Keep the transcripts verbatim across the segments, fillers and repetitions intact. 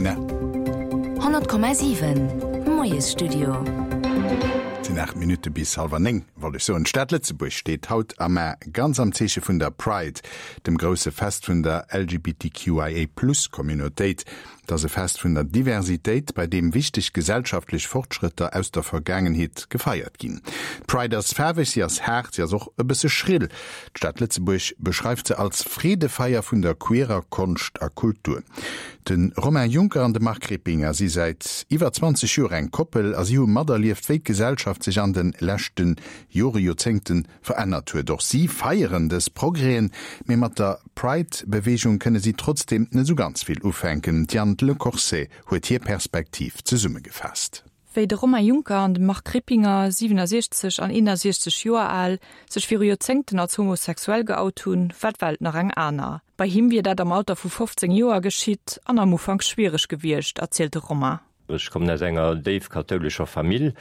Sinn honnert Komma siwen Moiesstudio. Et sinn aacht Minutte bis hallwer néng, wollt ech soen. D'Stad Lëtzebuerg steet haut a mar ganz am Zeeche vun der Pride, dem grousse Fest vun der L G B T Q I A Plus Communautéit. Dat ass e Fest vun der Diversitéit, bei deem wichteg gesellschaftlech Fortschrëtter aus der Vergaangenheet gefeiert ginn. D'Pride ass faarweg, si ass haart, si ass och e bësse schrill. D'Stad Lëtzebuerg beschreift se als Freedefeier vun der queerer Konscht a Kultur. De Romain Juncker an de Marc Rippinger si säit iwwer zwanzeg Joer eng Koppel a si hu materlieft, wéi d'Gesellschaft sech an de leschte Jore Joerzéngte verännert huet. Och si feieren dës Progrèsen, mee mat der Pride-Beweegung kënne si trotzdeem net sou ganz vill ufänken. D'Diane Le Corset huet hir Perspektiv zesummegefaasst. Wéi de Romain Juncker an de Marc Rippinger, siwenesechzeg an eenesechzeg Joer al, sech viru Joerzéngten als homosexuell geout hunn, war d'Welt nach eng aner. Bei him wier dat am Alter vu fofzéng Joer geschitt an am Ufank schwiereg gewiescht, erzielt de Romain. Ech kommen aus enger déif kathoulescher Famill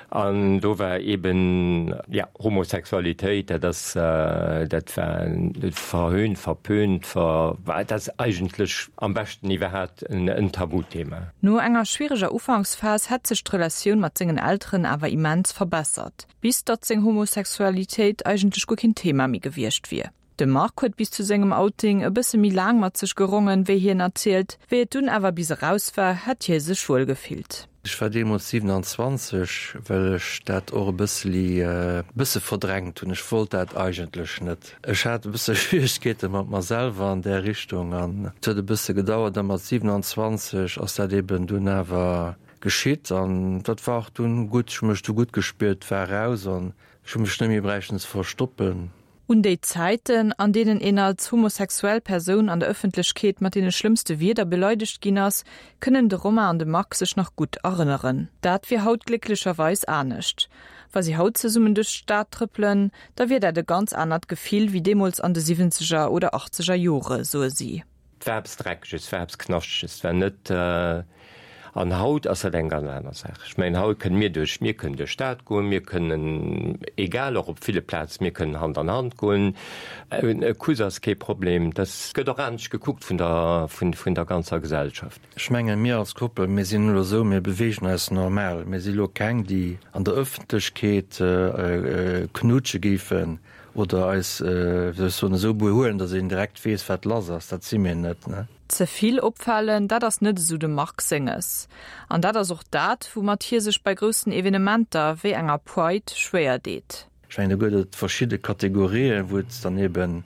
an do war eben ja Homosexualitéit, dat ass dat war verhöhnt, verpönt, ver war dat eigentlech am beschten iwwerhaapt en, en Tabuthema. No enger schwiereger Ufanksphas hätt sech d'Relatioun mat sengen Elteren awer immens verbessert, bis datt seng Homosexualitéit eigentlech guer keen Thema méi gewiescht wier. De Marc huet bis zu sengem Outing e bësse méi laang mat sech gerongen, wéi hien erzielt, wéi et dunn awer bis eraus war, hätt hie sech wuel gefillt. Ech war deemools siewenanzwanzeg, well ech dat och e bësseli äh, bësse verdrängt hunn. Ech wollt dat eigentlech net. Ech hat e bësse Schwieregkeete mat mer selwer an där Richtung an et huet e bësse gedauert, da mat siewenanzwanzeg ass dat eben dunn awer geschitt an dat war och dunn gutt. Ech hu mech du gutt gespiert, war raus an ech hu mech net méi bräichten ze verstoppen. Un déi Zäiten, an deenen een als homosexuell Persoun an der Ëffentlechkeet mat deene schlëmmste Wierder beleidegt ginn ass, kënnen de Romain an de Marc sech nach gutt erënneren. Dat wier haut glécklecherweis anescht. Wa si haut zesummen duerch d'Stad trëppelen, da wier dat e ganz anert Gefill wéi deemools an de siwwenzeger oder achtzeger Jore, soe si. Et war eppes Dreckeges, et war eppes Knaschteges, et war net An haut ass dat eng ganz aner Saach. Ech mengen, haut kënne mir duerch, mir kënnen duerch d'Stad goen, mir kënnen, egal och op ville Plazen, mir kënnen Hand an Hand goen. E Kuss ass kee Problem. Dat gëtt och anescht gekuckt vun der, vun, vun der ganzer Gesellschaft. Ech mengen, mir als Koppel, mir sinn elo esou, mir beweegen eis normal. Mir si lo keng, déi an der Ëffentlechkeet knutsche géifen oder eis, wéi soll ech soen, esou behuelen, datt een direkt weess, wat lass ass. Dat si mir net, ne? Ze vill opfalen, dat ass net esou dem Marc senges. An dat ass och dat, woumat hie sech bei groussen Evenementer wéi enger Pride schwéier deet. Ech mengen, do gëtt et verschidde Kategorien, wou et dann eben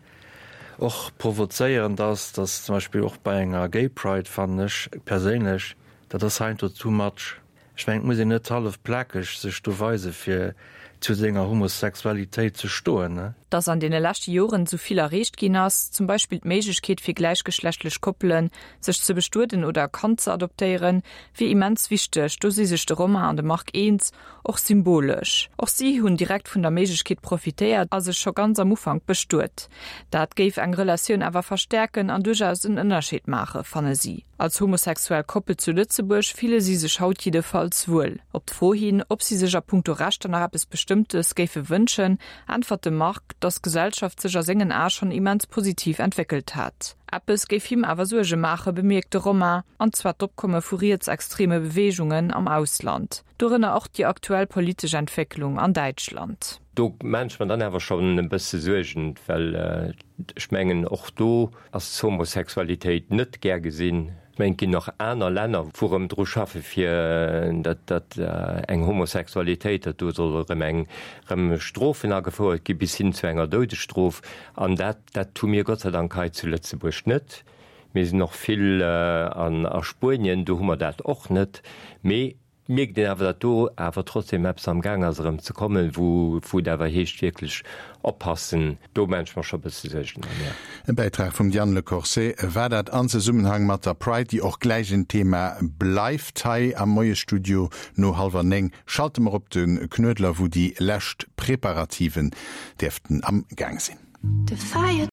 och provozéierend ass, dass zum Beispill och bei enger Gay Pride, fannen ech perséinlech, dat ass heiansdo too much. Ech mengen, et muss een net hallef plakeg sech do weise fir zu senger Homosexualitéit ze stoen, ne? Dass an deene leschte Joren esou vill erreecht ginn ass, zum Beispill d'Méiglechkeet fir gläichgeschlechtlech Koppelen, sech ze bestueden oder e Kand ze adoptéieren, wier immens wichteg, do si sech de Romain an de Marc eens, och symbolesch. Och si hunn direkt vun der Méiglechkeet profitéiert a sech scho ganz am Ufank bestuet. Dat géif eng Relatioun awer verstäerken an duerchaus en Ënnerscheed maachen, fanne si. Als homosexuell Koppel zu Lëtzebuerg fille si sech haut jiddefalls wuel. Op d'Fro hin, ob si sech a punkto Rechter nach eppes Bestëmmtes géife wënschen, äntwert de Marc, dass d'Gesellschaft sech a sengen Ae schonn immens positiv entwéckelt hätt. Eppes géif him awer Suerge maachen, bemierkt de Romain, an zwar d'Opkomme vu rietsextreme Beweegungen am Ausland. Dorënner och déi aktuell politesch Entwécklung an Däitschland. Do maachen ech mer dann awer schonn e bësse Suergen, well ech mengen, och do ass d'Homosexualitéit net gär gesinn. Ech mengen, et ginn och aner Länner, wou erëm dru schaffe fir datt datt eng Homosexualitéit, datt do soll erëm eng erëm Strofen agefouert gi bis hin zu enger Doudesstrof. An dat dat hu mir Gott sei Dank hei zu Lëtzebuerg net. Mir sinn och vill an a Spuenien, do hu mer dat och net. Mee mierkt een awer, datt do awer trotzdem eppes am Gaang ass erëm ze kommen, wou wou et awer heescht wierklech oppassen. Do maan ech mer scho bësse Suergen an, jo. E Bäitrag vum Diane Le Corset war dat an Zesummenhang mat der Pride, déi och gläich en Thema bleift hei am Moiesstudio. No hallwer néng schalte mer op de Knuedler, wou déi lescht Preparativen dierften am Gaang sinn. The fire